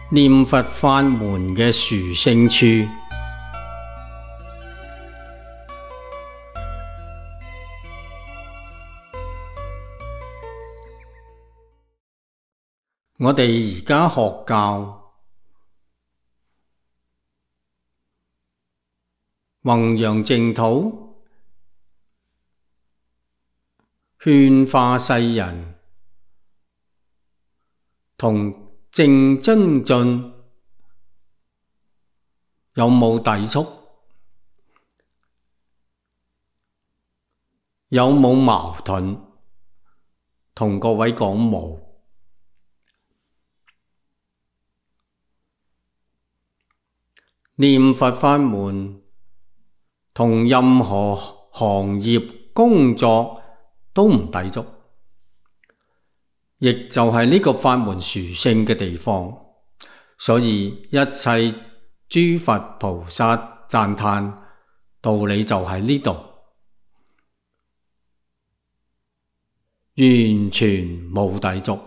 念佛法門嘅殊勝處。我哋而家學教，弘揚淨土，勸化世人，同正精進有冇抵觸？有冇矛盾？同各位講冇。念佛法門同任何行業工作都唔抵觸，亦就係呢個法門殊勝嘅地方。所以一切諸佛菩薩讚歎道理就喺呢度，完全冇抵觸。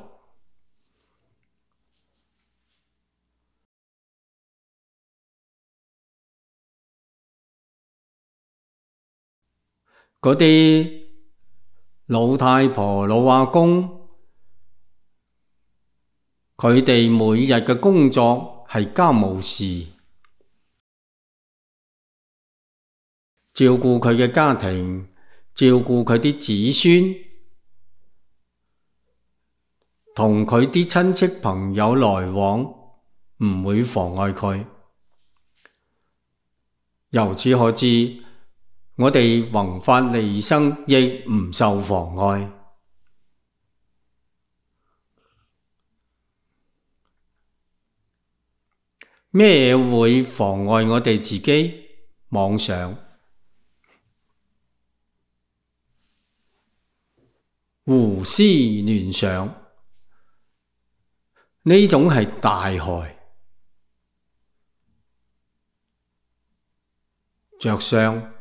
嗰啲老太婆、老阿公，佢哋每日嘅工作係家務事，照顧佢嘅家庭，照顧佢啲子孫，同佢啲親戚朋友來往，唔會妨礙佢。由此可知，我哋弘法利生亦唔受妨礙。咩會妨礙我哋自己？妄想、胡思亂想，呢種係大害。着相，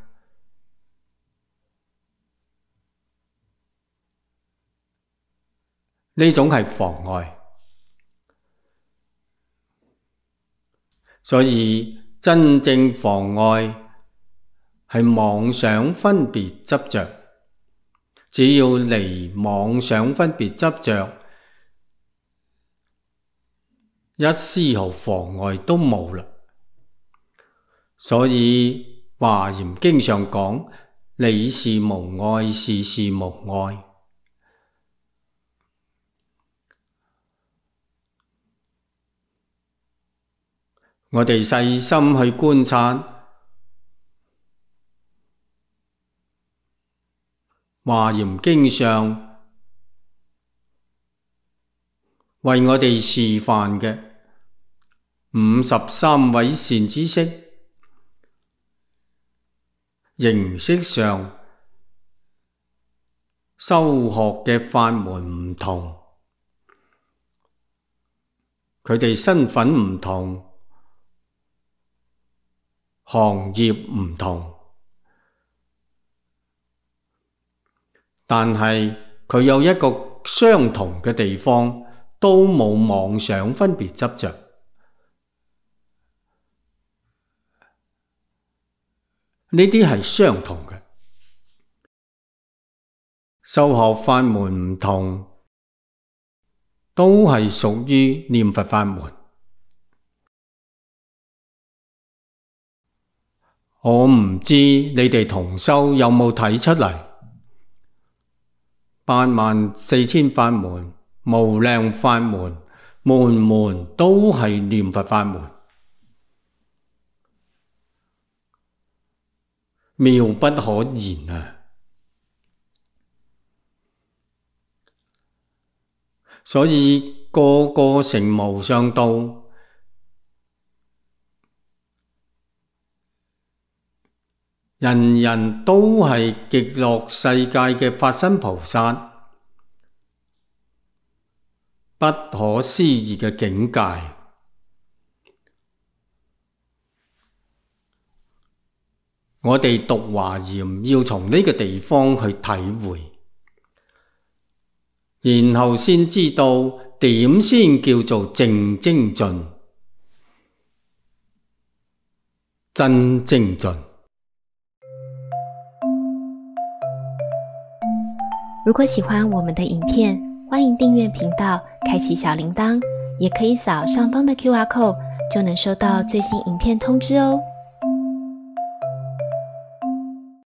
呢種係妨礙。所以真正妨礙係妄想分別執着。只要離妄想分別執着，一絲毫妨礙都冇啦。所以華嚴經上講，理事無礙，事事無礙。我哋細心去觀察華嚴經上為我哋示範嘅53位善知識，形式上修學嘅法門唔同，佢哋身份唔同，行業唔同，但係佢有一個相同嘅地方，都冇妄想分別執着。呢啲係相同嘅，修學法門唔同，都係屬於念佛法門。我唔知你哋同修有冇睇出嚟？84000法門、無量法門，門門都係念佛法門，妙不可言啊！所以個個成無上道，人人都係極樂世界嘅法身菩薩，不可思議嘅境界。我哋讀華嚴要從呢個地方去體會，然後先知道點先叫做正精進。真精進。如果喜欢我们的影片，欢迎订阅频道，开启小铃铛，也可以扫上方的 QR code，就能收到最新影片通知哦。